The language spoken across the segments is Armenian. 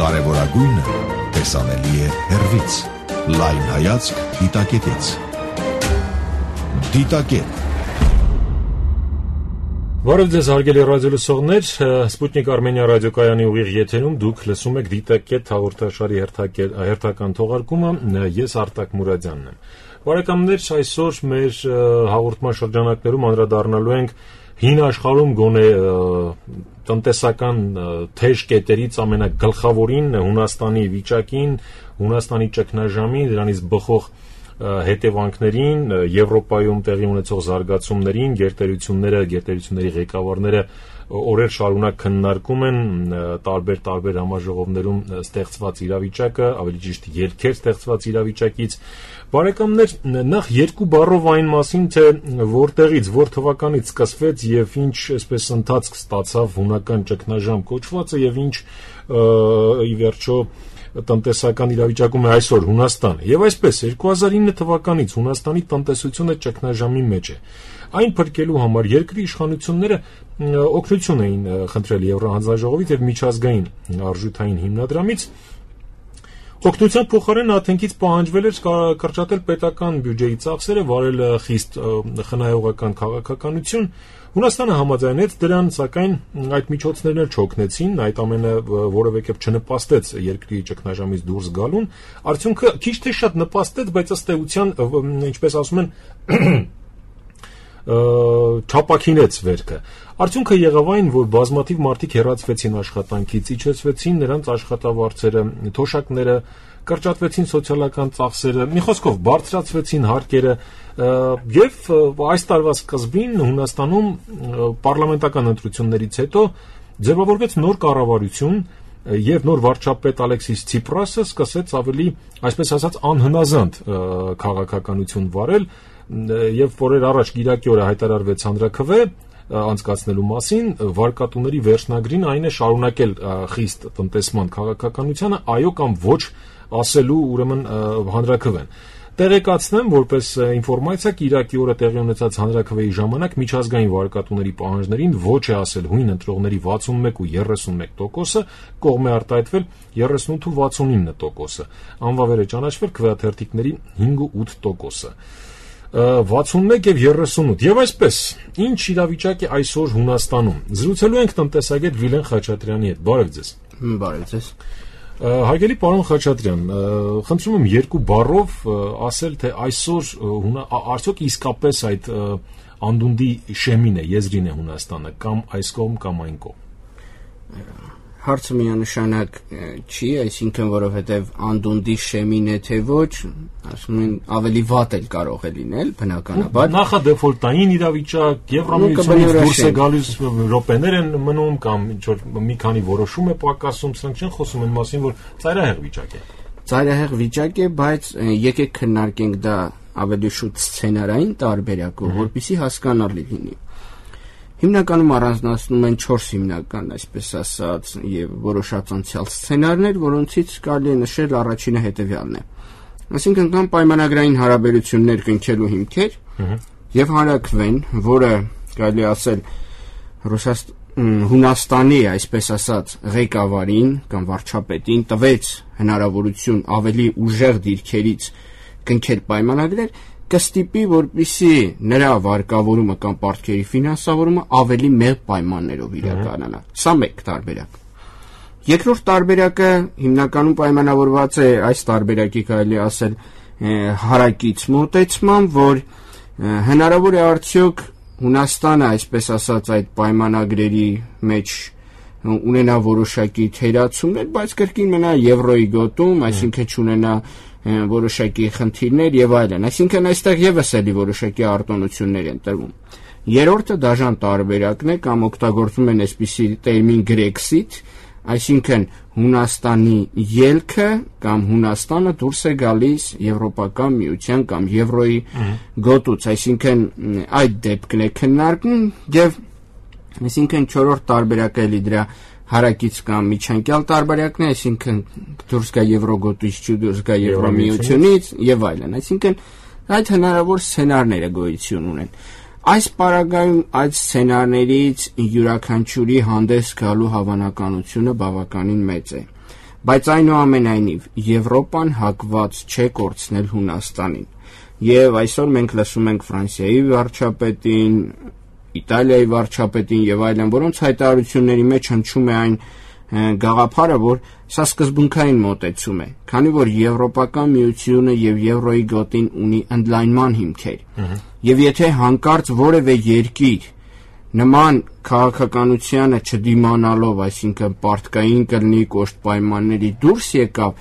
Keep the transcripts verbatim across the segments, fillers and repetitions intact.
Կարևորագույնը տեսանելի է հեռվից։ Լայն հայացք դիտակետից։ Դիտակետ։ Բարև ձեզ հարգելի ռադիոլսողներ, Սպուտնիկ Արմենիա ռադիոկայանի ուղիղ եթերում դուք լսում եք Դիտակետ հաղորդաշարի հերթական թողարկումը, ես Արտակ Մուրադյանն եմ։ Բարեկամներ, այսօր մեր հաղորդման շրջանակներում անդրադառնալու ենք հին աշխարհում գոնե տնտեսական թեժ կետերից ամենագլխավորին Հունաստանի վիճակին, Հունաստանի ճգնաժամին, դրանից բխող հետևանքներին, Եվրոպայում տեղի ունեցող զարգացումներին, գերտերությունները, գերտերությունների ղեկավարները օրեր շարունակ քննարկում են տարբեր-տարբեր համաժողովներում ստեղծված իրավիճակը, ավելի ճիշտ ելքեր ստեղծված իրավիճակից։ Բարեկամներ, նախ երկու բառով այն մասին, թե որտեղից, որ թվականից սկսվեց եւ ինչ այսպես ընթացք ստացավ հունական ճգնաժամ կոչվածը եւ ինչ ի վերջո տնտեսական իրավիճակում է այսօր Հունաստանը։ Եվ այսպես երկու հազար ինը թվականից Հունաստանի տնտեսությունը ճգնաժամի մեջ է։ Այն փրկելու համար երկրի իշխանությունները օգնություն էին խնդրել Եվրահանձնաժողովից եւ միջազգային արժութային հիմնադրամից։ Օգնության փոխարեն Աթենքից պահանջվել էր կրճատել պետական բյուջեի ծախսերը, վարել խիստ խնայողական քաղաքականություն։ Հունաստանը համաձայնեց դրան, սակայն այդ միջոցներն էլ չօգնեցին, այդ ամենը որևէ կերպ չնպաստեց երկրի ճգնաժամից դուրս գալուն։ Արդյունքը քիչ թե շատ նպաստեց, բայց ըստ էության, ինչպես ասում են, չապակինեց վերքը։ Արդյունքը եղավ այն, որ բազմաթիվ մարդիկ հեռացվեցին աշխատանքից, իջեցվեցին նրանց աշխատավարձերը, թոշակները, կրճատվեցին սոցիալական ծախսերը, մի խոսքով բարձրացվեցին հարկերը, եւ այս տարվա սկզբին Հունաստանում պարլամենտական ընտրություններից հետո ձևավորվեց նոր կառավարություն եւ նոր վարչապետ Ալեքսիս Ցիպրասը սկսեց ավելի, այսպես ասած, անհնազանդ քաղաքականություն վարել եւ օրեր առաջ Կիրակի օրը հայտարարվեց հանրաքվե անցկացնելու մասին, վարկատուների վերջնագրին այն է շարունակել խիստ տնտեսման քաղաքականությանը, այո կամ ոչ ասելու ուրեմն հանրաքվեն։ Տեղեկացնեմ, որպես ինֆորմացիա, Կիրակի օրը տեղի ունեցած հանրաքվեի ժամանակ միջազգային վարկատուների պահանջներին ոչ է ասել հույն ընտրողների վաթսունմեկ ու երեսունմեկ տոկոսը, կողմ է արտահայտվել երեսունութ ու վաթսունինը տոկոսը, անվավեր է ճանաչվել քվեաթերթիկների հինգ ու ութ տոկոսը։ վաթսունմեկ եւ երեսունութ։ Եվ այսպես, ինչ իրավիճակ է այսօր Հունաստանում։ Զրուցելու ենք տնտեսագետ Վիլեն Խաչատրյանի հետ։ Բարև ձեզ։ Բարև ձեզ։ Հարգելի պարոն Խաչատրյան, խնդրում եմ երկու բառով ասել, թե այսօր արդյոք իսկապես այդ անդունդի շեմին է, եզրին է Հունաստանը, կամ այս կողմ, կամ այն կողմ։ Հարցը միանշանակ չի, այսինքն որովհետև անդունդի շեմին է թե ոչ, ասում են ավելի վատ էլ կարող է լինել, բնականաբար։ Նախադեֆոլտային իրավիճակ, Եվրամիությունից դուրս է գալիս րոպեներ են մնում կամ ինչ-որ մի քանի որոշում է պակասում, սրանք չեն խոսում այն մասին, որ ծայրահեղ վիճակ է։ Ծայրահեղ վիճակ է, բայց եկեք քննարկենք դա ավելի շուտ սցենարային տարբերակով, որպեսզի հասկանալի լինի։ Հիմնականում առանձնացնում են չորս հիմնական, այսպես ասած, եւ որոշած անցյալ սցենարներ, որոնցից կարելի է նշել առաջինը հետեւյալն է։ Այսինքն կան պայմանագրային հարաբերություններ կնքելու հիմքեր եւ հանրաքվեն, որը կարելի ասել Հունաստանի, այսպես ասած, ղեկավարին կամ վարչապետին տվեց հնարավորություն ավելի ուժեղ դիրքերից կնքել պայմանագրեր, կստիպի, որպեսզի նրա վարկավորումը կամ պարտքերի ֆինանսավորումը ավելի մեծ պայմաններով իրականանա։ Սա մեկ տարբերակ։ Երկրորդ տարբերակը հիմնականում պայմանավորված է այս տարբերակի կարելի ասել հարակից մոտեցմամբ, որ հնարավոր է արդյոք Հունաստանը, այսպես ասած, այդ պայմանագրերի մեջ ունենա որոշակի թերացումներ, բայց կրկին մնա եվրոյի գոտում, այսինքն չունենա որոշակի խնդիրներ եւ այլն։ Այսինքն այստեղ եւս էլի որոշակի արտոնություններ են տրվում։ Երրորդը դաժան տարբերակն է կամ օգտագործում են այսպիսի տերմին Grexit, այսինքն Հունաստանի ելքը կամ Հունաստանը դուրս է գալիս Եվրոպական միության կամ Եվրոյի գոտուց, այսինքն այդ դեպքն է քննարկում եւ այսինքն չորրորդ տարբերակը էլի դրա հարակից կամ միջանկյալ տարբերակն է, այսինքն դուրս գա Եվրոգոտից, չդուրս գա Եվրամիությունից եւ այլն, այսինքն այդ հնարավոր սցենարները գոյություն ունեն։ Այս պարագայում այդ սցենարներից յուրաքանչյուրի հանդես գալու հավանականությունը բավականին մեծ է։ Բայց այնուամենայնիվ Եվրոպան հակված չէ կորցնել Հունաստանին։ Եվ այսօր մենք լսում ենք Ֆրանսիայի վարչապետին, Իտալիայի վարչապետին եւ այլն, որոնց հայտարարությունների մեջ հնչում է այն գաղափարը, որ սա սկզբունքային մոտեցում է, քանի որ Եվրոպական միությունը եւ Եվրոյի գոտին ունի ընդլայնման հիմքեր։ Եվ եթե հանկարծ որևէ երկիր նման քաղաքականությանը չդիմանալով, այսինքն պարտքային կլինի կոշտ պայմանների դուրս եկավ,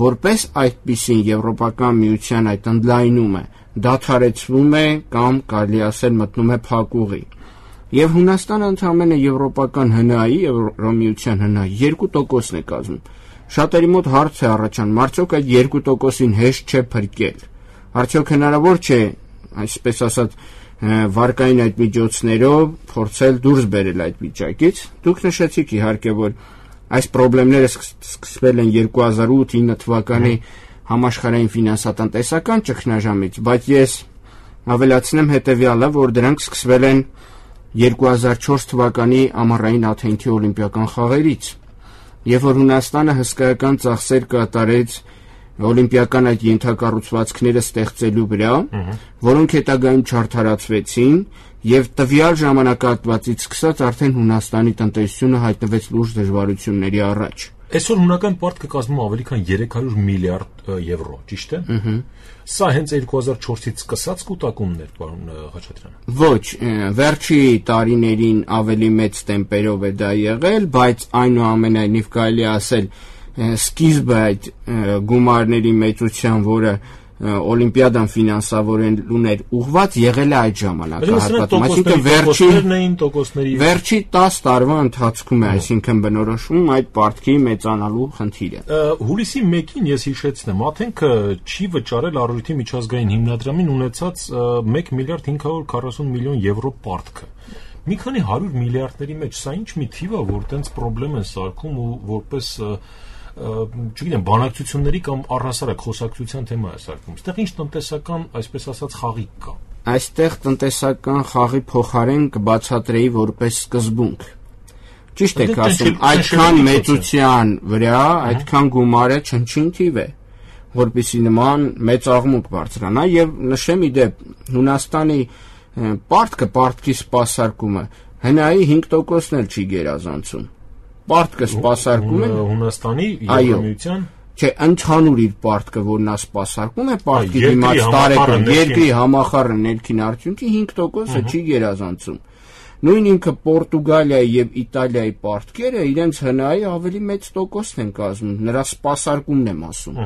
որպես այդպիսին Եվրոպական միության այդ ընդլայնումը դադարեցվում է կամ կարելի ասել մտնում է փակուղի։ Եվ Հունաստանը ընդամենը Եվրոպական հնայի, Եվրոմիության հնայի երկու տոկոսն է կազմում։ Շատերի մոտ հարց է առաջանում, արդյոք այդ երկու տոկոսին հեշտ չէ փրկել։ Արդյոք հնարավոր չէ, այսպես ասած, վարկային այդ միջոցներով փորձել դուրս բերել այդ վիճակից։ Դուք նշեցիք իհարկե, որ այս խնդիրները սկսվել են երկու հազար ութ ինը թվականի համաշխարհային ֆինանսատնտեսական ճգնաժամից, բայց ես ավելացնեմ հետևյալը, որ դրանք սկսվել են երկու հազար չորս թվականի ամառային Աթենքի օլիմպիական խաղերից, երբ որ Հունաստանը հսկայական ծախսեր կատարեց օլիմպիական այդ ենթակառուցվածքները ստեղծելու վրա, որոնք հետագայում չարդարացվեցին, եւ տվյալ ժամանակահատվածից սկսած արդեն Հունաստանի տնտեսությունը հայտնվեց լուրջ դժվարությունների առաջ։ Այսօր հունական պարտքը կազմում ավելի քան երեք հարյուր միլիարդ եվրո, ճիշտ է։ Սա հենց երկու հազար չորսից սկսած կուտակումն էր, պարոն Խաչատրյան։ Ոչ, վերջի տարիներին ավելի մեծ տեմպերով է դա եղել, բայց այնուամենայնիվ կարելի ասել սկիզբը այդ գումարների մեծության, որը օլիմպիադան ֆինանսավորելուն էր ուղղված, եղել է այդ ժամանակահատվածում, այսինքն վերջի վերջի տասը տարվա ընթացքում է, այսինքն բնորոշում այդ պարտքի մեծանալու խնդիրը։ Հուլիսի մեկին ես հիշեցնեմ, Աթենքը չի վճարել առողջի միջազգային հիմնադրամին ունեցած մեկ միլիարդ հինգ հարյուր քառասուն միլիոն եվրո պարտքը։ Մի քանի հարյուր միլիարդների մեջ սա ինչ մի թիվ է, որ տենց խնդրեմ են սարքում ու որպես չգիտեմ, բանակցությունների կամ առհասարակ խոսակցության թեմա է սարքում։ Այստեղ ինչ տնտեսական, այսպես ասած, խաղի կա։ Այստեղ տնտեսական խաղի փոխարեն կբացատրեի որպես սկզբունք։ Ճիշտ եք ասում, այդքան մեծության վրա, այդքան գումարը չնչին թիվ է, որպեսզի նման մեծ աղմուկ բարձրանա, եւ նշեմ իդեպ Հունաստանի պարտքը, պարտքի սպասարկումը հնայի հինգ տոկոսն էլ չի գերազանցում։ Պարտքը սպասարկում է Հունաստանի Եվրոմիության, չէ, ընդհանուր իր պարտքը, որ նա սպասարկում է պարտքի դիմաց տարեկան երկրի համախառն ներքին արդյունքի հինգ տոկոսը չի գերազանցում։ Նույն ինքը Պորտուգալիայի եւ Իտալիայի պարտքերը իրենց հնայի ավելի մեծ տոկոսն են կազմում, նրա սպասարկումն եմ ասում։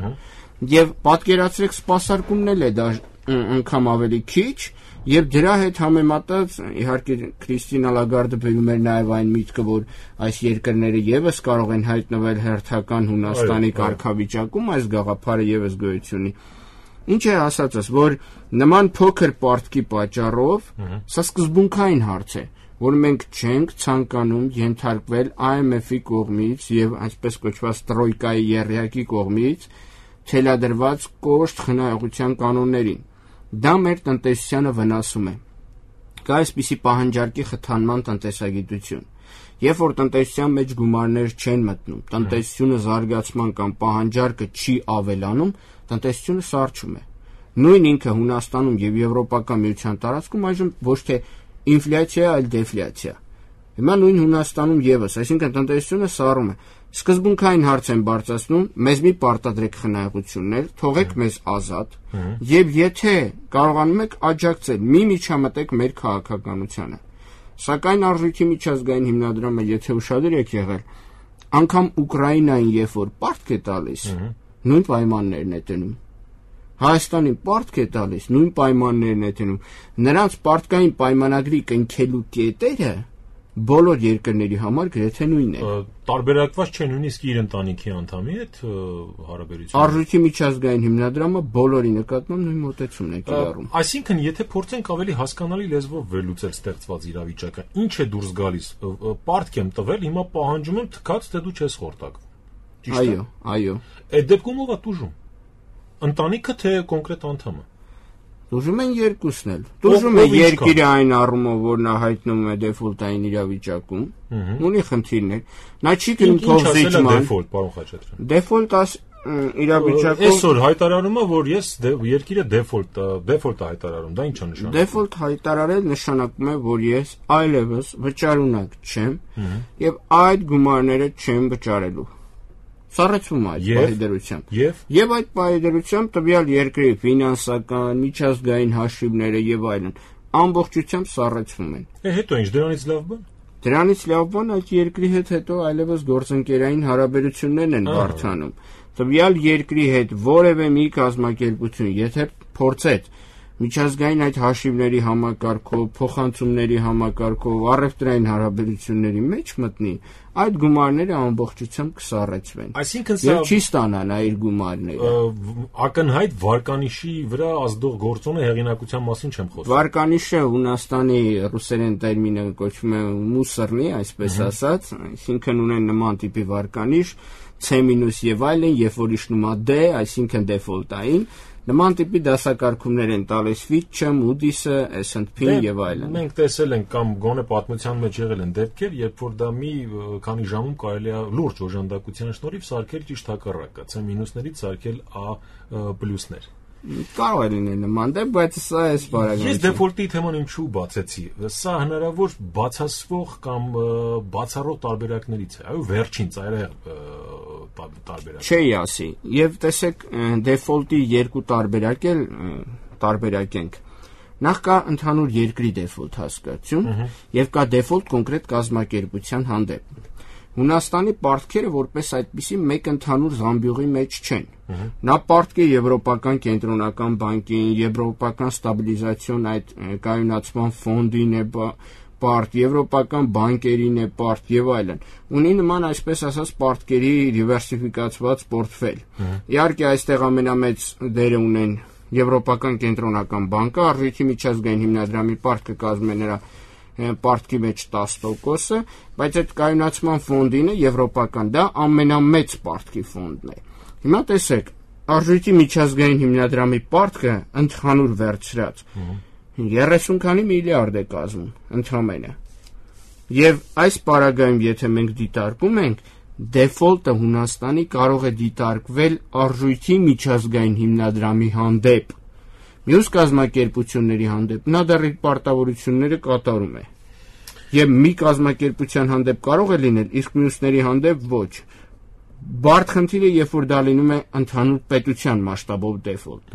Եվ պատկերացրեք, սպասարկումն էլ է դա անգամ ավելի քիչ, եւ դրա հետ համեմատած իհարկե Քրիստինա Լագարդը բերում էր նաեւ այն միտքը, որ այս երկրները եւս կարող են հայտնվել հերթական Հունաստանի կարգավիճակում, այս գաղափարը եւս գոյություն ունի։ Ինչ է ասածս, որ նման փոքր պարտքի պատճառով սա սկզբունքային հարց է, որ մենք չենք ցանկանում ենթարկվել I M F-ի կողմից եւ այսպես կոչված տրոյկայի եռյակի կողմից թելադրված կոշտ խնայողության կանոններին։ Դա մեր տնտեսությանը վնասում է։ Կա այսպիսի պահանջարկի խթանման տնտեսագիտություն։ Երբ որ տնտեսության մեջ գումարներ չեն մտնում, տնտեսությունը զարգացման կամ պահանջարկը չի ավելանում, տնտեսությունը սառչում է։ Նույն ինքը Հունաստանում եւ Եվրոպական միության տարածքում այժմ ոչ թե ինֆլյացիա, այլ դեֆլյացիա։ Հիմա նույն Հունաստանում եւս, այսինքն տնտեսությունը սառում է։ Սկզբունքային հարց են բարձրացնում, մեզ մի պարտադրեք խնայողություններ, թողեք մեզ ազատ, եւ եթե կարողանում եք աջակցել, մի միջամտեք մեր քաղաքականությանը։ Սակայն Արժույթի միջազգային հիմնադրամը, եթե ուշադիր եք եղել, անգամ Ուկրաինային երբ որ պարտք է տալիս, նույն պայմաններն է տնում։ Հայաստանին պարտք է տալիս, նույն պայմաններն է տնում։ Նրանց պարտքային պայմանագրի կնքելու կետերը բոլոր երկրների համար գրեթե նույնն է։ Տարբերակված չէ նույնիսկ իր ընտանիքի անդամի հետ հարաբերությունը։ Արժույթի միջազգային հիմնադրամը բոլորի նկատմամբ նույն մոտեցումն է կիրառում։ Այսինքն, եթե փորձենք ավելի հասկանալի լեզվով վերլուծել ստեղծված իրավիճակը, ինչ է դուրս գալիս։ Պարտք եմ տվել, հիմա պահանջում եմ թքած, թե դու չես խորտակվում։ Ճիշտ է։ Այո, այո։ Այդ դեպքում ով է տուժում։ Ընտանիքը թե կոնկրետ անդամը։ Դժում են երկուսն էլ։ Դժում է երկիրը այն առումով, որ նա հայտնում է դեֆոլտային իրավիճակում, ունի խնդիրներ։ Նա չի գնում թող զիջման։ Դեֆոլտ, պարոն Խաչատրյան։ Դեֆոլտ աս իրավիճակում այսօր հայտարարում է, որ ես երկիրը դեֆոլտ դեֆոլտ է հայտարարում, դա ի՞նչ է նշանակում։ Դեֆոլտ հայտարարել նշանակում է, որ ես այլևս վճարունակ չեմ եւ այդ գումարները չեմ վճարելու։ Սառեցվում է այդ պահիդրությամբ։ Եվ եւ այդ պահիդրությամբ տվյալ երկրի ֆինանսական, միջազգային հաշիվները եւ այլն ամբողջությամբ սառեցվում են։ Է հետո ինչ դրանից լավ բան։ Դրանից լավ բան այդ երկրի հետ հետո այլևս գործընկերային հարաբերություններն են բարթանում։ Տվյալ երկրի հետ որևէ մի կազմակերպություն, եթե փորձեց միջազգային այդ հաշիվների համակարգով, փոխանցումների համակարգով, առևտրային հարաբերությունների մեջ մտնի, այդ գումարները ամբողջությամբ կսառեցվեն։ Այսինքն սա չի ստանա նա իր գումարները։ Ակնհայտ վարկանիշի վրա ազդող գործոնը հեղինակության մասին չեմ խոսում։ Վարկանիշը Հունաստանի ռուսերեն տերմինը կոչվում է մուսռնի, այսպես ասած, այսինքն ունեն նման տիպի վարկանիշ, C- եւ այլն, երբ որ իջնում է D, այսինքն դեֆոլտային, նման տիպի դասակարգումներ են տալիս Fitch-ը, Moody's-ը, S and P-ն եւ այլն։ Մենք տեսել ենք կամ գոնե պատմության մեջ եղել են դեպքեր, երբ որ դա մի քանի ժամում կարելի է լուրջ օժանդակության շնորհիվ սարքել ճիշտ հակառակը, C-ներից սարքել A+-ներ։ Կարող է լինել նման դեպք, բայց սա էս բարակայում։ Ես դեֆոլտի թեման ինչու բացեցի։ Սա հնարավոր բացասվող կամ բացառող տարբերակներից է։ Այո, վերջին ծայրահեղ տարբերակ։ Չի ասի։ Եվ տեսեք, դեֆոլտի երկու տարբերակ էլ տարբերակենք։ Նախ կա ընդհանուր երկրի դեֆոլտ հասկացություն, եւ կա դեֆոլտ կոնկրետ կազմակերպության հանդեպ։ Հունաստանի պարտքերը որպես այդպիսի մեկ ընդհանուր զամբյուղի մեջ չեն։ Նա պարտք է Եվրոպական կենտրոնական բանկին, Եվրոպական ստաբիլիզացիոն այդ կայունացման ֆոնդին է պարտ, Եվրոպական բանկերին է պարտ եւ այլն։ Ունի նման այսպես ասած պարտքերի դիվերսիֆիկացված պորտֆել։ Իհարկե այստեղ ամենամեծ դերը ունեն Եվրոպական կենտրոնական բանկը, արժույթի միջազգային հիմնադրամի պարտքը կազմում է նրա պարտքի մեջ տասը տոկոսը, բայց այդ կայունացման ֆոնդինը եվրոպական դա ամենամեծ պարտքի ֆոնդն է։ Հիմա տեսեք, արժույթի միջազգային հիմնադրամի պարտքը ընդհանուր վերցրած երեսուն քանի միլիարդ է կազմում ընդհանրապես։ Եվ այս պարագայում եթե մենք դիտարկում ենք, դեֆոլտը Հունաստանի կարող է դիտարկվել արժույթի միջազգային հիմնադրամի հանդեպ։ Մյուս կազմակերպությունների հանդեպ նա դեռ իր պարտավորությունները կատարում է։ Եվ մի կազմակերպության հանդեպ կարող է լինել, իսկ մյուսների հանդեպ ոչ։ Բարդ խնդիրը, երբ որ դա լինում է ընդհանուր պետության մասշտաբով դեֆոլտ։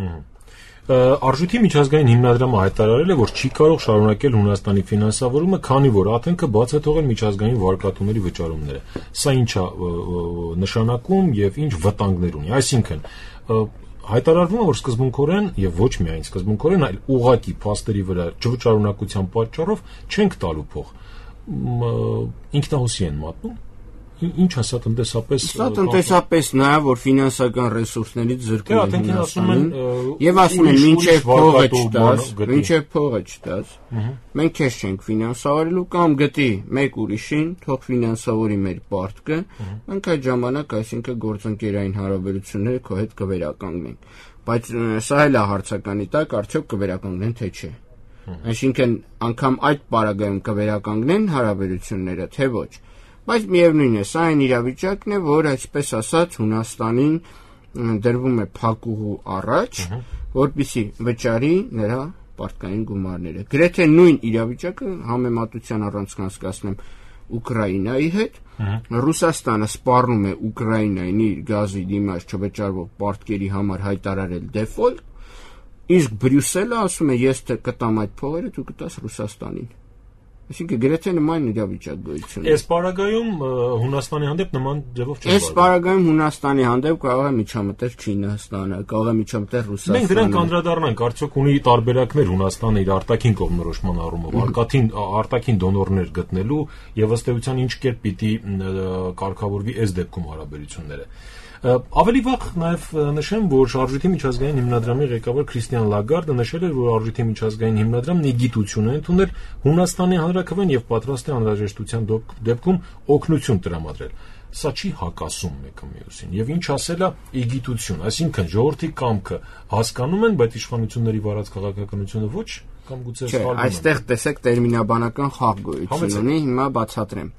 Արժույթի միջազգային հիմնադրամը հայտարարել է, որ չի կարող շարունակել Հունաստանի ֆինանսավորումը, քանի որ Աթենքը բաց է թողել միջազգային վարկատուների վճարումները։ Սա ինչ է նշանակում եւ ինչ վտանգներ ունի։ Այսինքն հայտարարվում է, որ սկզբունքորեն եւ ոչ միայն սկզբունքորեն, այլ ուղղակի փաստերի վրա չվճարունակության պատճառով չենք տալու փող։ Ինքնահոսի են մատնում։ Ինչ ասա տնտեսապես։ Սա տնտեսապես նաեւ որ ֆինանսական ռեսուրսներից զրկում են Հունաստանին եւ ասում են մինչեւ փողը չտաս, մինչեւ փողը չտաս։ Մենք քեզ չենք ֆինանսավորելու կամ գտի մեկ ուրիշին, թող ֆինանսավորի մեր պարտքը, մենք այդ ժամանակ այսինքն գործընկերային հարաբերությունները քո հետ կվերականգնենք։ Բայց սա էլ է հարցականի տակ, արդյոք կվերականգնեն թե չէ։ Այսինքն անգամ այդ պարագայում կվերականգնեն հարաբերությունները, թե ոչ։ Բայց միևնույն է, սա այն իրավիճակն է, որ այսպես ասած Հունաստանին դրվում է փակուղու առաջ, որպեսզի վճարի նրա պարտքային գումարները։ Գրեթե նույն իրավիճակը համեմատության առանց կանցկացնեմ Ուկրաինայի հետ, Ռուսաստանը սպառնում է Ուկրաինային իր գազի դիմաց չվճարվող պարտքերի համար հայտարարել դեֆոլտ, իսկ Բրյուսելը ասում է ես թե կտամ այդ փողերը, դու կտաս Ռուսաստանին։ Այսինքն գրեթե նման իրավիճակ գոյություն ունի։ Այս պարագայում Հունաստանի հանդեպ նման ձևով չի։ Այս պարագայում Հունաստանի հանդեպ կարող է միջամտել Չինաստանը, կարող է միջամտել Ռուսաստանը։ Մենք դրան կանդրադառնանք, արդյոք ունի տարբերակներ Հունաստանը իր արտաքին կողմնորոշման առումով, արտաքին արտաքին դոնորներ գտնելու եւ ըստ էության ինչ կերպ պիտի կարգավորվի այս դեպքում հարաբերությունները։ Ավելի վաղ նաև նշեմ, որ Արժույթի միջազգային հիմնադրամի ղեկավար Քրիստիան Լագարդը նշել էր, որ Արժույթի միջազգային հիմնադրամն իգիտություն է ընդունել Հունաստանի հանրաքվեն եւ պատրաստ է անհրաժեշտության դեպքում օգնություն տրամադրել։ Սա չի հակասում մեկը մյուսին եւ ինչ ասելա իգիտություն, այսինքն ժողովրդի կամքը հասկանում են, բայց իշխանությունների վարած քաղաքականությունը ոչ, կամ գուցե սխալվում են։ Այստեղ տեսեք տերմինաբանական խաղ գոյություն ունի, հիմա բացատրեմ։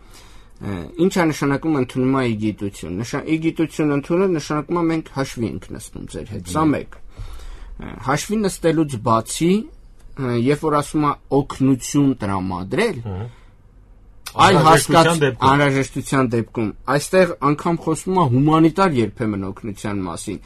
Ինչ է նշանակում ընդունում է իգիտություն։ Իգիտություն ընդունել նշանակում է մենք հաշվի ենք նստում ձեր հետ։ Սա մեկ։ Հաշվի նստելուց բացի, երբ որ ասում է օգնություն տրամադրել, այլ հասկացած անհրաժեշտության դեպքում, այստեղ անգամ խոսում է հումանիտար երբեմն օգնության մասին,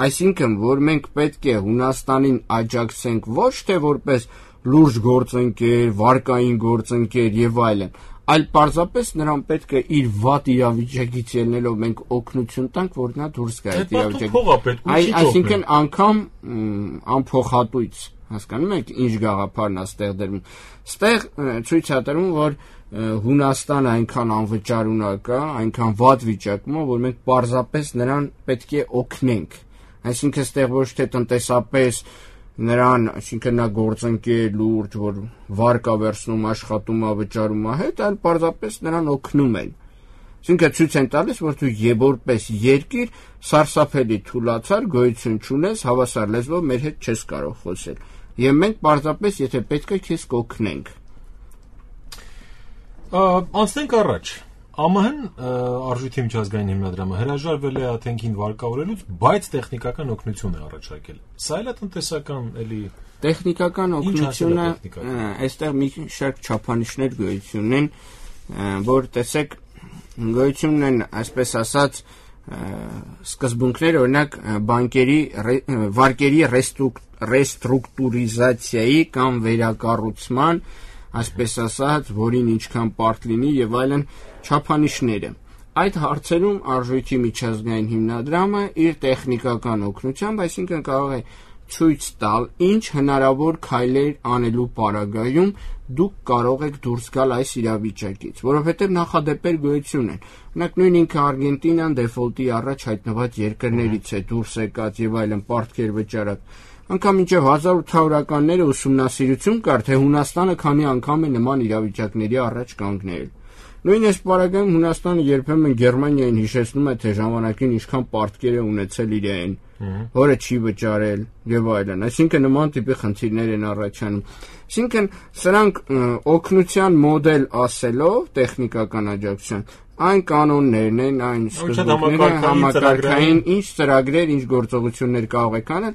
այսինքն, որ մենք պետք է Հունաստանին աջակցենք ոչ թե որպես լուրջ գործընկեր, վարկային գործընկեր եւ այլն, այլ պարզապես նրան պետք է իր վատ իրավիճակից ելնելով մենք օգնություն տանք, որ նա դուրս գա այդ իրավիճակից։ Այսինքն անգամ անփոխատույց, հասկանում եք, ինչ գաղափարն է ստեղ դրվում։ Ստեղ ցույց է տրվում, որ Հունաստանը այնքան անվճար ունակ է, այնքան վատ վիճակում է, որ մենք պարզապես նրան պետք է օգնենք։ Այսինքն ստեղ ոչ թե տնտեսապես նրան, այսինքն նա գործընկեր լուրջ, որ վարկ է վերցնում, աշխատում է, վճարում է հետ, այլ պարզապես նրան օգնում են։ Այսինքն ցույց են տալիս, որ դու որպես երկիր սարսափելի թուլացար, գոյություն չունես, հավասար լեզվով մեր հետ չես կարող խոսել։ Եվ մենք պարզապես, եթե պետք է, քեզ կօգնենք։ Անցնենք առաջ։ ԱՄՀ-ն Արժույթի միջազգային հիմնադրամը հրաժարվել է աթենքին վարկավորելուց, բայց տեխնիկական օգնություն է առաջարկել։ Սա էլ է տնտեսական էլի տեխնիկական օգնությունը, այստեղ մի շարք չափանիշներ գոյություն ունեն, որ տեսեք գոյություն են, այսպես ասած, սկզբունքներ, օրինակ բանկերի վարկերի ռեստրուկտուրիզացիայի կամ վերակառուցման, այսպես ասած, որին ինչքան պարտ լինի եւ այլն չափանիշները։ Այդ հարցերում Արժույթի միջազգային հիմնադրամը իր տեխնիկական օգնությամբ, այսինքն կարող է ցույց տալ, ինչ հնարավոր քայլեր անելու պարագայում դուք կարող եք դուրս գալ այս իրավիճակից, որովհետև նախադեպեր գոյություն են։ Օրինակ նույն ինքը Արգենտինան դեֆոլտի առաջ հայտնված երկրներից է դուրս եկած եւ այլն պարտքեր վճարած։ Անկամ մինչև հազար ութ հարյուրականները ուսումնասիրություն կար, թե Հունաստանը քանի անգամ է նման իրավիճակների առաջ կանգնել։ Նույն այս պարագայում Հունաստանը երբեմն Գերմանիային հիշեցնում է, թե ժամանակին ինչքան պարտքեր է ունեցել իրեն, որը չի վճարել եւ այլն։ Այսինքն նման տիպի խնդիրներ են առաջանում։ Այսինքն սրանք օգնության մոդել ասելով տեխնիկական աջակցության այն կանոններն են, այն սկզբունքները, համակարգային ինչ ծրագրեր, ինչ գործողություններ կարող եք անել,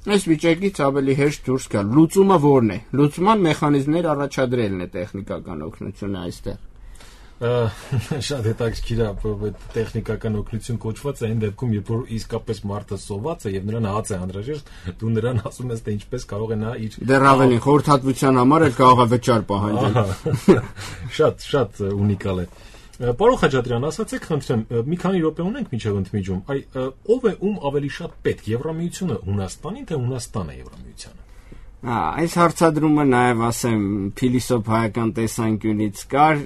այս վիճակից ավելի հեշտ դուրս գալ։ Լուծումը ո՞րն է։ Լուծման մեխանիզմներ առաջադրելն է տեխնիկական օգնությունը այստեղ։ Շատ հետաքրքիր է, տեխնիկական օգնություն կոչված է այն դեպքում, երբ որ իսկապես մարդը սոված է եւ նրան հաց է անհրաժեշտ, դու նրան ասում ես, թե ինչպես կարող է նա իր դեռ ավելին խորհրդատվության համար էլ կարող է վճար պահանջել։ Շատ, շատ ունիկալ է։ Պարոն Խաչատրյան, ասացեք, խնդրեմ, մի քանի րոպե ունենք մինչև ընդմիջում, այ ով է ում ավելի շատ պետք, Եվրամիությունը Հունաստանին, թե Հունաստանը Եվրամիությանը։ Այս հարցադրումը նաև ասեմ փիլիսոփայական տեսանկյունից կար,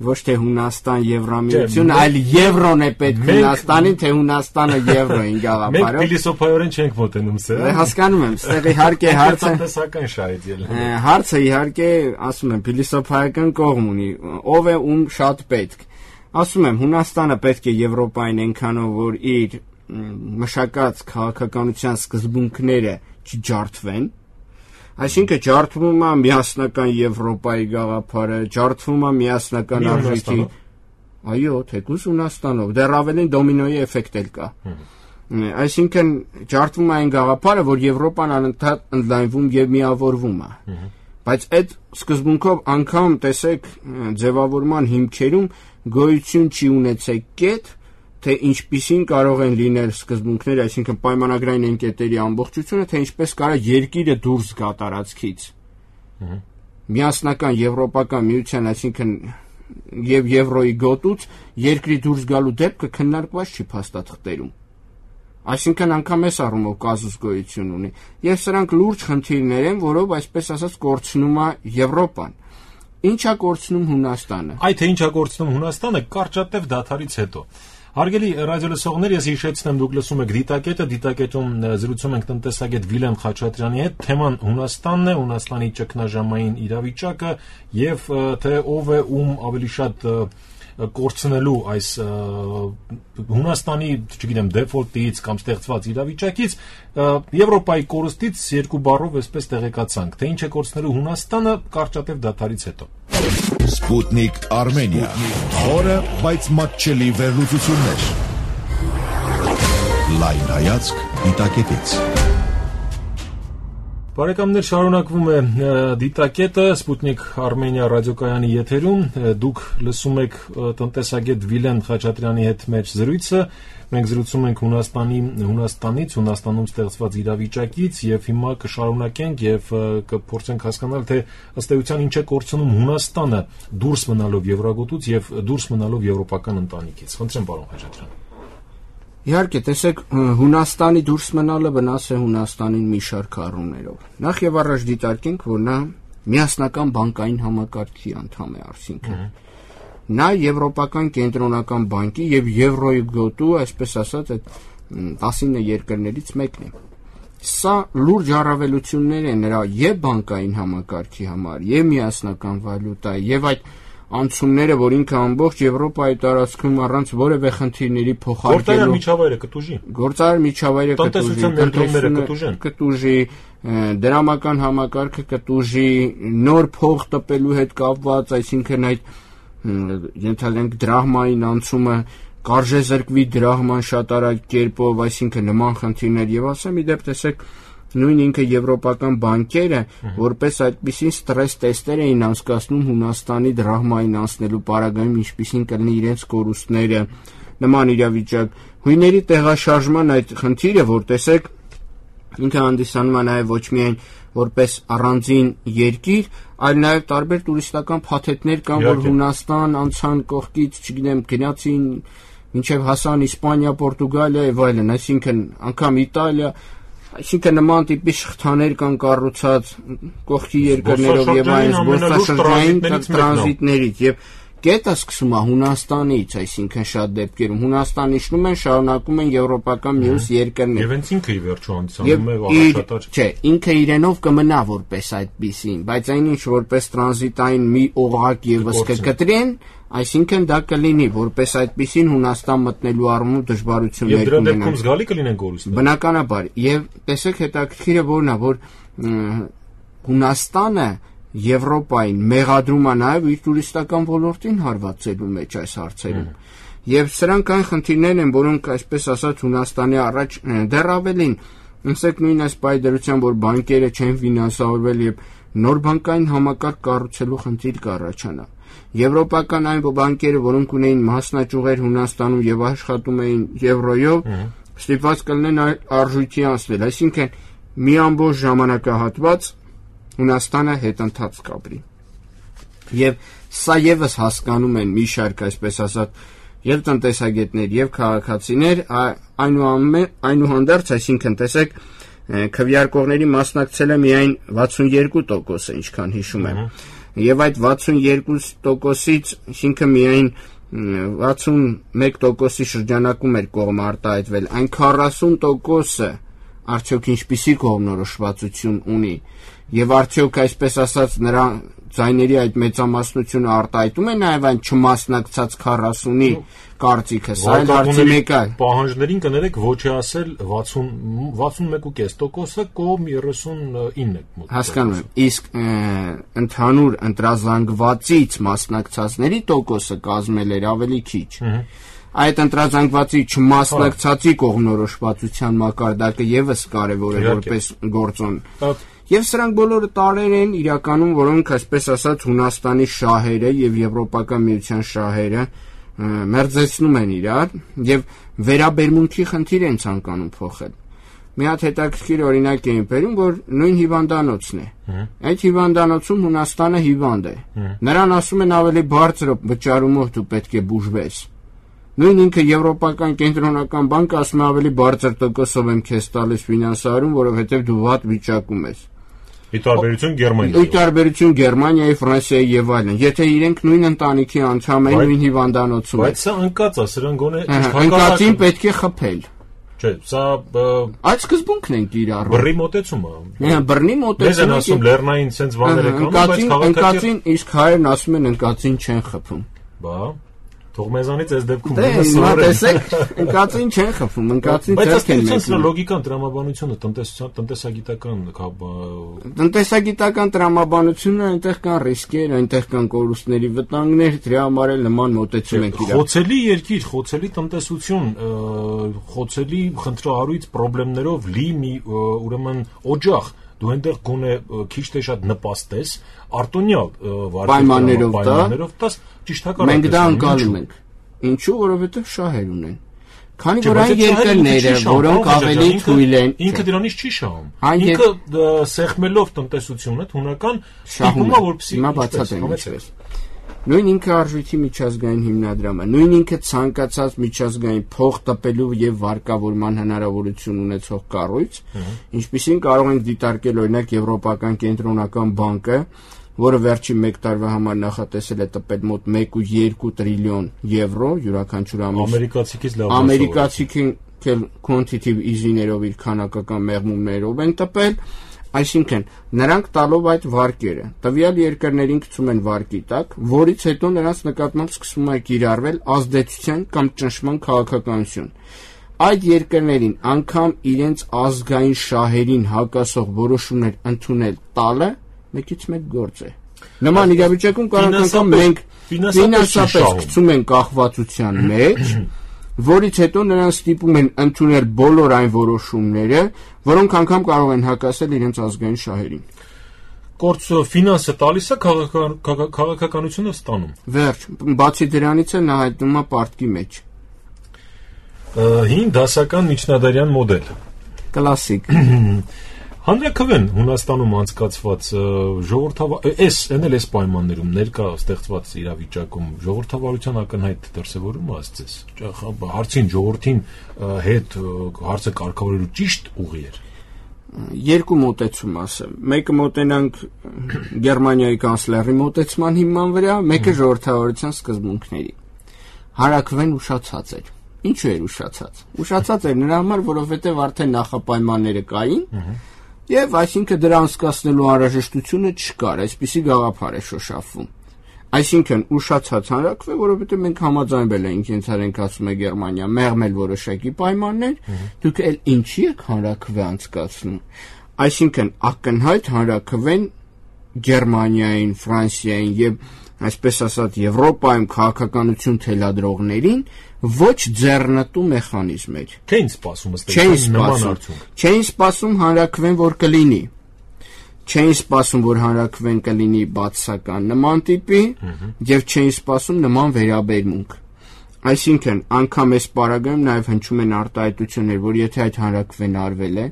ոչ թե Հունաստան Եվրամիություն, այլ Եվրոն է պետք Հունաստանին, թե Հունաստանը Եվրոին գաղափարով։ Մենք փիլիսոփայորեն չենք մոտենում սրա։ Հասկանում եմ, ստեղ իհարկե հարցը տնտեսական շահից ելնում։ Հարցը իհարկե, ասում եմ, փիլիսոփայական կողմ ունի, ով է ում շատ պետք։ Ասում եմ, Հունաստանը պետք է Եվրոպային այնքանով, որ իր մշակած քաղաքականության սկզբունքները չջարդվեն։ Այսինքն ջարդվում է միասնական Եվրոպայի գաղափարը, ջարդվում է միասնական արժույթի, այո, թեկուզ Հունաստանով, դեռ ավելին դոմինոյի էֆեկտ էլ կա։ Այսինքն ջարդվում է այն գաղափարը, որ Եվրոպան անընդհատ ընդլայնվում եւ միավորվում է։ Բայց այդ սկզբունքով անգամ տեսեք ձևավորման հիմքերում գոյություն չի ունեցել կետ, թե ինչպիսին կարող են լինել սկզբունքները, այսինքն պայմանագրային ընկետերի ամբողջությունը, թե ինչպես կարող երկիրը դուրս գա տարածքից։ Միասնական եվրոպական միության, այսինքն եւ եվրոյի գոտուց երկրի դուրս գալու դեպքը քննարկված չի փաստաթղթերում։ Այսինքն անգամ այս առումով կազուս գոյություն ունի։ Եվ սրանք լուրջ խնդիրներ են, որով այսպես ասած կորցնում է Եվրոպան։ Ինչ է կորցնում Հունաստանը։ Այդ թե ինչ է կորցնում Հունաստանը կարճատև դադարից հետո։ Հարգելի ռադիոլսողներ, ես հիշեցնեմ, դուք լսում եք Դիտակետը, Դիտակետում զրուցում ենք տնտեսագետ Վիլեն Խաչատրյանի հետ, թեման Հունաստանն է, Հունաստանի ճգնաժամային իրավիճակը եւ թե ով է ում ավելի շատ կորցնելու այս Հունաստանի, չգիտեմ, դեֆոլտից կամ ստեղծված իրավիճակից, Եվրոպայի կորստից երկու բառով այսպես տեղեկացանք, թե ինչ է կորցնելու Հունաստանը կարճատև դադարից հետո։ Սպուտնիկ Արմենիա, խորը, բայց մատչելի վերլուծություններ։ Լայն հայացք Դիտակետից։ Բարեկամներ, շարունակվում է Դիտակետը, Սպուտնիկ Արմենիա ռադիոկայանի եթերում, դուք լսում եք տնտեսագետ Վիլեն Խաչատրյանի հետ մեր զրույցը, մենք զրուցում ենք Հունաստանի, Հունաստանից, Հունաստանում ստեղծված իրավիճակից եւ հիմա կշարունակենք եւ կփորձենք հասկանալ, թե ըստ էության ինչ է կորցնում Հունաստանը դուրս մնալով Եվրագոտուց եւ դուրս մնալով եվրոպական ընտանիքից։ Խնդրեմ, պարոն Խաչատրյան։ Իհարկե, տեսեք, Հունաստանի դուրս մնալը վնաս է Հունաստանին մի շարք առումներով։ Նախ եւ առաջ դիտարկենք, որ նա միասնական բանկային համակարգի անդամ է, այսինքն նա Եվրոպական կենտրոնական բանկի եւ Եվրոյի գոտու, այսպես ասած, այդ տասինը երկրներից մեկն է։ Սա լուրջ առավելություններ է նրա եւ բանկային համակարգի համար, եւ միասնական վալյուտայի, եւ այդ անցումները, որ ինքը ամբողջ Եվրոպայի տարածքում առանց որևէ խնդիրների փոխարկելու գործարար միջավայրը կտուժի։ Գործարար միջավայրը կտուժի, տնտեսության կտուժեն, կտուժի, դրամական համակարգը կտուժի, նոր փող տպելու հետ կապված, այսինքն այդ ենթադրենք դրահմային անցումը կարժե զրկվի դրահման շատ արագ կերպով, այսինքն նման խնդիրներ եւ ասեմ իդեպ տեսեք նույն ինքը եվրոպական բանկերը որպես այդպիսին ստրես տեստեր էին անցկացնում Հունաստանի դրահմային անցնելու պարագայում, ինչպիսին կլինի իրենց կորուստները, նման իրավիճակ, հույների տեղաշարժման այդ խնդիրը, որ տեսեք ինքը հանդիսանում է նաև ոչ միայն որպես առանձին երկիր, այլ նաև տարբեր տուրիստական փաթեթներ կան, որ Հունաստան անցան կողքից, չգիտեմ, գնացին մինչև հասան Իսպանիա, Պորտուգալիա եւ այլն, այսինքն անգամ Իտալիա, այսինքն նման տիպի շղթաներ կան կառուցած կողքի երկրներով եւ այս զբոսաշրջային տրանզիտներից եւ կետը սկսում է Հունաստանից, այսինքն շատ դեպքերում Հունաստան իջնում են, շարունակում են եվրոպական մյուս երկրներ։ Եվ հենց ինքը ի վերջո հանդիսանում է առաջատար։ Չէ, ինքը իրենով կմնա որպես այդպիսին, բայց այնինչ որպես տրանզիտային մի օղակ եւս կկտրեն, այսինքն դա կլինի որպես այդպիսին Հունաստան մտնելու առումով դժվարություններ կունենան։ Եվ դրա դեպքում զգալի կլինեն կորուստներ։ Բնականաբար, եւ տեսեք հետաքրքիրը որն է, որ Հունաստանը Եվրոպային մեղադրում է նաև իր տուրիստական ոլորտին հարվածելու մեջ այս հարցերում։ Եվ սրանք այն խնդիրներն են, որոնք այսպես ասած Հունաստանի առաջ դեռ ավելին, ասեք նույն այս պայդրությամբ, որ բանկերը չեն ֆինանսավորվել եւ նոր բանկային համակարգ կառուցելու խնդիր կառաջանա։ Եվրոպական այն բանկերը, որոնք ունեին մասնաճյուղեր Հունաստանում եւ աշխատում էին եվրոյով, ստիպված կլինեն արժույթի անցնել, այսինքն մի ամբողջ ժամանակահատված Հունաստանը հետընթաց կապրի։ Եվ սա եւս հասկանում են մի շարք, այսպես ասած, եւ տնտեսագետներ, եւ քաղաքացիներ, այնուհանդերձ, այսինքն տեսեք, քվեարկողների մասնակցել է միայն վաթսունեքու տոկոսը, ինչքան հիշում եմ։ Եվ այդ վաթսունեքու տոկոսից, այսինքն միայն վաթսունմեկ տոկոսի շրջանակում էր կողմը արտահայտվել, այն քառասուն տոկոսը արդյոք ինչպիսի կողմնորոշվածություն ունի եւ արդյոք այսպես ասած նրա ձայների այդ մեծամասնությունը արտահայտում է նաեւ այն չմասնակցած քառասունի կարծիքը, սա էլ հարցի մեկ է։ Պահանջներին կներեք ոչ է ասել վաթսուն վաթսունմեկ կես տոկոսը կողմ երեսունինը մոտ։ Հասկանում եմ, իսկ ընդհանուր ընտրազանգվածից մասնակցածների տոկոսը կազմել էր ավելի քիչ։ Այդ ընտրազանգվածի չմասնակցածի կողմնորոշվածության մակարդակը եւս կարեւոր է որպես գործոն։ Եվ սրանք բոլորը տարեր են իրականում, որոնք այսպես ասած Հունաստանի շահերը եւ Եվրոպական միության շահերը մերձեցնում են իրար եւ վերաբերմունքի խնդիր են ցանկանում փոխել։ Մի հատ հետաքրքիր օրինակ էին բերում, որ նույն հիվանդանոցն է։ Այդ հիվանդանոցում Հունաստանը հիվանդ է։ Նրան ասում են ավելի բարձր վճարումով դու պետք է բուժվես։ Նույն ինքը Եվրոպական կենտրոնական բանկը ասում է ավելի բարձր տոկոսով եմ քեզ տալիս ֆինանսարում, որովհետև դու վատ վիճակում ես։ Ի տարբերություն Գերմանիայի։ Ի տարբերություն Գերմանիայի, Ֆրանսիայի եւ այլն։ Եթե իրենք նույն ընտանիքի անդամ են, նույն հիվանդանոցում են։ Բայց սա ընկած է, սրան գոնե ընկածին պետք է խփել։ Չէ, սա այդ սկզբունքն են կիրառում։ Բռի մոտեցումը։ Հա, բռնի մոտեցումը։ Ես ասում լեռնային sense բաներ եք անում, բայց քաղաքացին, իսկ հայերն ասում են ընկածին չեն խփում։ Բա թող մեզանից այս դեպքում մենը սովորեն։ Տեսեք, ընկածին չեն խփում, ընկածին չեն մեկնում։ Բայց սա լոգիկան տրամաբանությունը, տնտեսության, տնտեսագիտական տնտեսագիտական տրամաբանությունը, այնտեղ կան ռիսկեր, այնտեղ կան կորուստների վտանգներ, դրա համար էլ նման մոտեցում են իրար։ Խոցելի երկիր, խոցելի տնտեսություն, խոցելի խնդրահարույց խնդիրներով լի մի ուրեմն օջախ դու այնտեղ գոնե քիչ թե շատ նպաստես արտոնյալ պայմաններով տաս ճիշտ հակառակը մենք դա անցալում ենք ինչու որովհետև շահեր ունեն քանի որ այն երկրները որոնք ավելի թույլ են ինքը դրանից չի շահում ինքը սեղմելով տնտեսությունը հունական շահում է որպեսզի հիմա բացատրեմ ինչպես նույն ինքը արժույթի միջազգային հիմնադրամը նույն ինքը ցանկացած միջազգային փող տպելու եւ վարկավորման հնարավորություն ունեցող կառույց ինչպիսին կարող ենք դիտարկել օրինակ Եվրոպական կենտրոնական բանկը որը վերջին մեկ տարվա համար նախատեսել է տպել մոտ մեկ ու երկու տրիլիոն եվրո յուրաքանչյուր ամիս ամերիկացիքից լավ ամերիկացիքին quantitative easy-ներով իր քանակական մեղմումներով են տպել Այսինքն, նրանք տալով այդ վարկերը, տվյալ երկրներին գցում են վարկի տակ, որից հետո նրանց նկատմամբ սկսում է կիրառվել ազդեցության կամ ճնշման քաղաքականություն։ Այդ երկրներին անգամ իրենց ազգային շահերին հակասող որոշումներ ընդունել տալը մեկից մեկ գործ է։ Նման իրավիճակում կարող անգամ մենք ֆինանսապես գցում են կախվածության մեջ, որից հետո նրանց ստիպում են ընդունել բոլոր այն որոշումները, որոնք անգամ կարող են հակասել իրենց ազգային շահերին։ Կորց ֆինանսը տալիս է քաղաքականությունը ստանում։ Վերջ, բացի դրանից էլ նա հայտնվում է պարտքի մեջ։ Հին դասական միջնադարյան մոդել։ Կլասիկ։ Հանրաքվեն Հունաստանում անցկացված ժողովրդավար էս այն էլ էս պայմաններում ներկա ստեղծված իրավիճակում ժողովրդավարության ակնհայտ դրսևորում ասցես հարցին ժողովրդին հետ հարցը կարգավորելու ճիշտ ուղի էր երկու մոտեցում ասեմ մեկը մոտենանք Գերմանիայի կանցլերի մոտեցման հիման վրա մեկը ժողովրդավարության սկզբունքների Հանրաքվեն ուշացած էր ինչու էր ուշացած ուշացած էր նրա համար որովհետև արդեն նախապայմանները կային Եվ այսինքն դրա անցկացնելու անհրաժեշտությունը չկար, այսպիսի գաղափար է շոշափվում։ Այսինքն ուշացած հանրաքվե, որովհետև մենք համաձայնվել ենք, ինձ հարենք ասում է Գերմանիա, մեղմել որոշակի պայմաններ, դուք էլ ինչի եք հանրաքվե անցկացնում։ Այսինքն ակնհայտ հանրաքվեն Գերմանիային, Ֆրանսիային եւ այսպես ասած Եվրոպայում քաղաքականություն թելադրողներին ոչ ձեռնտու մեխանիզմ էր։ Չէին սպասում ըստ նման արդյունք։ Չէին սպասում հանրաքվեն որ կլինի։ Չէին սպասում որ հանրաքվեն կլինի բացասական նման տիպի եւ չէին սպասում նման վերաբերմունք։ Այսինքն անգամ այս պարագայում նաեւ հնչում են արտահայտություններ, որ եթե այդ հանրաքվեն արվել է,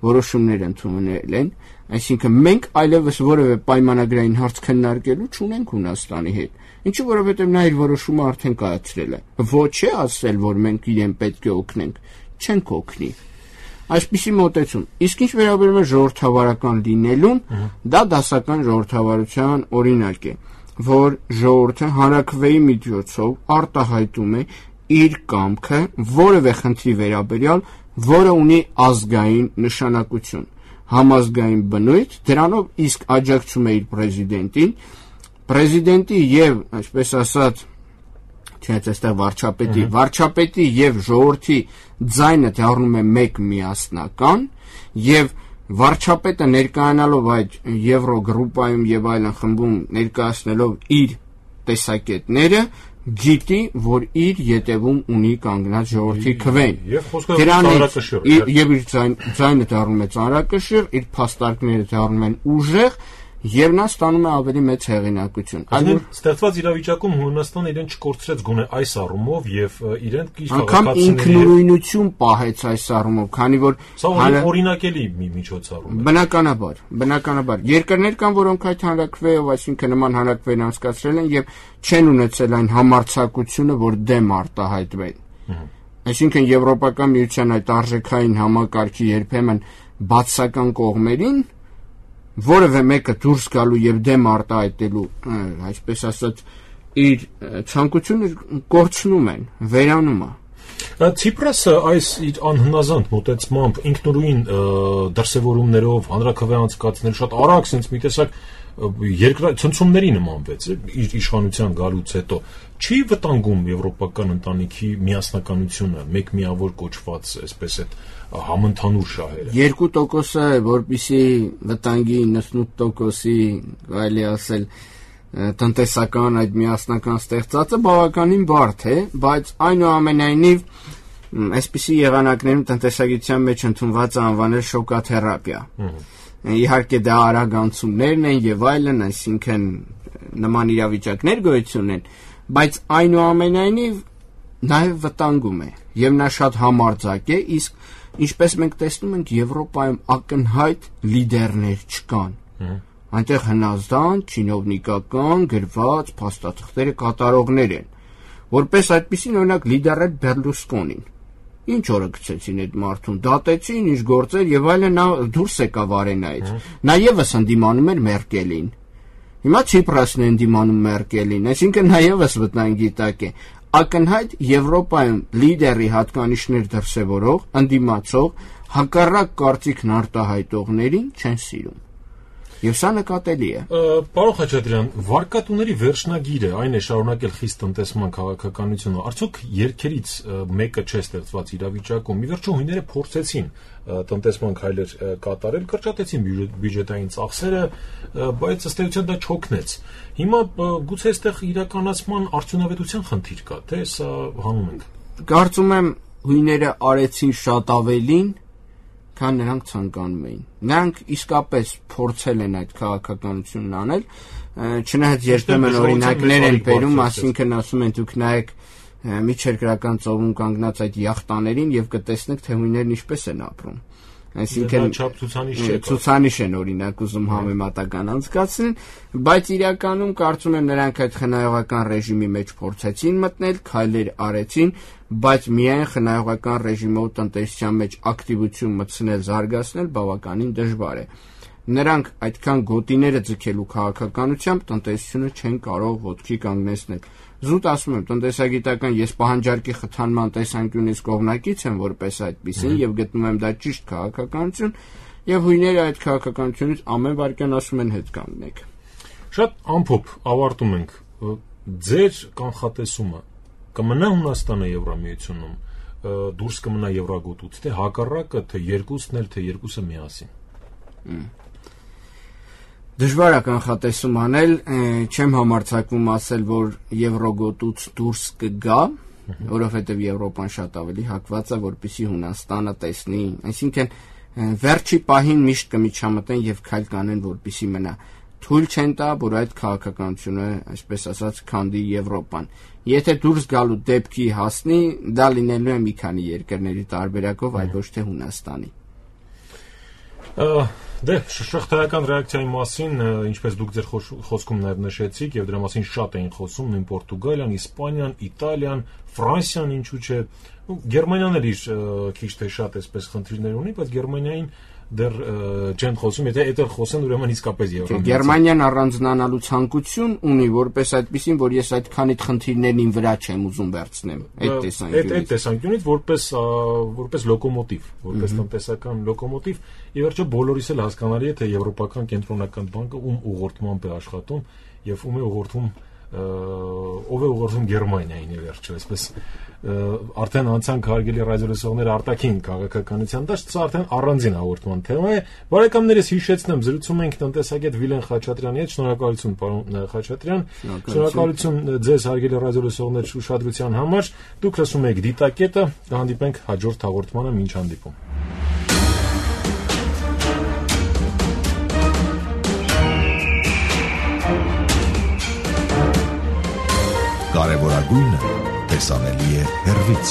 որոշումներ ընդունել են, այսինքն մենք այլևս որևէ պայմանագրային հարց քննարկելու չունենք Հունաստանի հետ։ Ինչու որովհետև նա իր որոշումը արդեն կայացրել է։ Ոչ է ասել, որ մենք իրեն պետք է օգնենք, չենք օգնի։ Այսպիսի մոտեցում։ Իսկ ինչ վերաբերում է ժողովրդավարական լինելուն, դա դասական ժողովրդավարության օրինակ է, որ ժողովուրդը հանրաքվեի միջոցով արտահայտում է իր կամքը որևէ խնդրի վերաբերյալ, որը ունի ազգային նշանակություն, համազգային բնույթ, դրանով իսկ աջակցում է իր պրեզիդենտին, Պրեզիդենտի եւ, այսպես ասած, չէ՞ այստեղ վարչապետի, վարչապետի եւ ժողովրդի ձայնը դառնում է մեկ միասնական եւ վարչապետը ներկայանալով այդ Եվրոգրուպայում եւ այլն խմբում ներկայացնելով իր տեսակետները գիտի, որ իր ետևում ունի կանգնած ժողովրդի քվեն։ Եվ խոսքը ծանրակշիռ։ Եվ իր ձայնը դառնում է ծանրակշիռ, իր փաստարկները դառնում են ուժեղ Եվ նա ստանում է ավելի մեծ հեղինակություն։ Այլ ստեղծված իրավիճակում Հունաստանը իրեն չկորցրեց գոնե այս առումով եւ իրեն իր անգամ ինքնուրույնություն պահեց այս առումով, քանի որ սա օրինակելի մի միջոցառում է։ Բնականաբար, բնականաբար երկրներ կան, որոնք այդ հանրաքվեով, այսինքն նման հանրաքվեն անցկացրել են եւ չեն ունեցել այն համարձակությունը, որ դեմ արտահայտվեն։ Այսինքն Եվրոպական միության այդ արժեքային համակարգի երբեմն բացասական կողմերին որևէ մեկը դուրս գալու եւ դեմ արտահայտելու, այսպես ասած, իր ցանկությունը կորցնում են, վերանում է։ Ցիպրասը այս իր անհնազանդ մոտեցմամբ ինքնուրույն դրսևորումներով հանրաքվե անցկացնել շատ արագ sense մի տեսակ երկրացնցումների նմանվեց իր իշխանության գալուց հետո չի վտանգում եվրոպական ընտանիքի միասնականությունը մեկ միավոր կոչված այսպես այդ համընդհանուր շահերը երկու տոկոսը որպեսզի վտանգի իննսունութ տոկոսի կարելի ասել տնտեսական այդ միասնական ստեղծածը բավականին բարդ է, բայց այնուամենայնիվ այսպիսի եղանակներում տնտեսագիտության մեջ ընդունված է անվանել շոկաթերապիա։ Իհարկե դա արագ անցումներն են եւ այլն, այսինքն նման իրավիճակներ գոյություն են, բայց այնուամենայնիվ նաեւ վտանգում է եւ նա շատ համարձակ է, իսկ ինչպես մենք տեսնում ենք Եվրոպայում ակնհայտ լիդերներ չկան։ Այնտեղ հնազանդ, չինովնիկական, գրված, փաստաթղթերը կատարողներ են։ Որպես այդպիսին օրինակ լիդերել Բերլուսկոնին։ Ինչ օրը գցեցին այդ մարդուն, դատեցին, ինչ գործեր եւ այլն, նա դուրս եկավ արենայից։ Նա եւս ընդդիմանում էր Մերկելին։ Հիմա Ցիպրասն է ընդդիմանում Մերկելին, այսինքն նա եւս վտանգի տակ է։ Ակնհայտ Եվրոպայում լիդերի հատկանիշներ դրսևորող, ընդդիմացող, հակառակ կարծիքն արտահայտողներին չեն սիրում։ Եվ սա նկատելի է։ Պարոն Խաչատրյան, վարկատուների վերջնագիրը այն է շարունակել խիստ տնտեսման քաղաքականությունը։ Արդյոք երկերից մեկը չէ ստեղծված իրավիճակում։ Մի վերջո հույները փորձեցին տնտեսման քայլեր կատարել, կրճատեցին բյուջետային ծախսերը, բայց ըստ էության դա չօգնեց։ Հիմա գուցե այստեղ իրականացման արդյունավետության խնդիր կա, թե սա հանում ենք։ Կարծում եմ հույները արեցին շատ ավելին, քան նրանք ցանկանում էին։ Նրանք իսկապես փորձել են այդ քաղաքականությունն անել, չնայած երբեմն օրինակներ են բերում, ասինքն ասում են դուք նայեք միջերկրական ծովում կանգնած այդ յախտաներին եւ կտեսնեք թե հույներն ինչպես են ապրում։ Այսինքն ցուցանիշ են օրինակ ուզում համեմատական անցկացնել, բայց իրականում կարծում եմ նրանք այդ խնայողական ռեժիմի մեջ փորձեցին մտնել, քայլեր արեցին, բայց միայն խնայողական ռեժիմով տնտեսության մեջ ակտիվություն մտցնել, զարգացնել բավականին դժվար է։ Նրանք այդքան գոտիները ձգելու քաղաքականությամբ տնտեսությունը չեն կարող ոտքի կանգնեցնել։ Զուտ ասում եմ, տնտեսագիտական ես պահանջարկի խթանման տեսանկյունից կողմնակից եմ որպես այդպիսին եւ գտնում եմ դա ճիշտ քաղաքականություն եւ հույները այդ քաղաքականությունից ամեն վարքյան ասում են հետ կանգնեք։ Շատ ամփոփ ավարտում ենք։ Ձեր կանխատեսումը կմնա Հունաստանը Եվրամիությունում, դուրս կմնա Եվրագոտուց, թե հակառակը, թե երկուսն էլ, թե երկուսը միասին։ Դժվար է կանխատեսում անել, չեմ համարձակվում ասել, որ Եվրոգոտուց դուրս կգա, որովհետև Եվրոպան շատ ավելի հակված է, որպեսզի Հունաստանը տեսնի, այսինքն վերջի պահին միշտ կմիջամտեն եւ քայլ կանեն, որպեսզի մնա։ Թույլ չեն տա, որ այդ քաղաքականությունը, այսպես ասած, քանդի Եվրոպան։ Եթե դուրս գալու դեպքի հասնի, դա լինելու է մի քանի երկրների տարբերակով, այլ ոչ թե Հունաստանի։ Դե շղթայական ռեակցիայի մասին, ինչպես դուք ձեր խոսքում նաև նշեցիք, եւ դրա մասին շատ էին խոսում նույն Պորտուգալիան, Իսպանիան, Իտալիան, Ֆրանսիան, ինչու՞ չէ, Գերմանիան էլ իր քիչ թե շատ այսպես խնդիրներ ունի, բայց Գերմանիային դեռ չեն խոսում, եթե այդտեղ խոսեն, ուրեմն իսկապես Եվրոպան։ Գերմանիան առանձնանալու ցանկություն ունի, որպես այդպեսին, որ ես այդքանի խնդիրներին վրա չեմ ուզում վերցնեմ, այդ տեսանկյունից։ Այդ տեսանկյունից որպես որպես լոկոմոտիվ, որպես տնտեսական լոկոմոտիվ, ի վերջո բոլորիս էլ հասկանալի է, թե Եվրոպական կենտրոնական բանկը ում ուղղորդմամբ է աշխատում եւ ում է ուղղորդում ով է ուղղորդում Գերմանիային, ի վերջո, այսպես արդեն անցանք հարգելի ռադիոլսողները արտաքին քաղաքականության դաշտ, սա արդեն առանձին հաղորդման թեմա է։ Բարեկամներս հիշեցնեմ, զրուցում ենք տնտեսագետ Վիլեն Խաչատրյանի հետ, շնորհակալություն պարոն Խաչատրյան, շնորհակալություն ձեզ հարգելի ռադիոլսողներ ուշադրության համար, դուք լսում եք Դիտակետը, կհանդիպենք հաջորդ հաղորդմանը, մինչ հանդիպում։ Կարևորագույնը տեսանելի է հեռվից,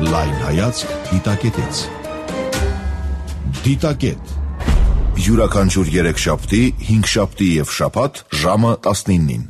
լայն հայացք դիտակետից։ Դիտակետ յուրաքանչյուր երեքշաբթի, հինգշաբթի և շաբաթ ժամը տասնինին։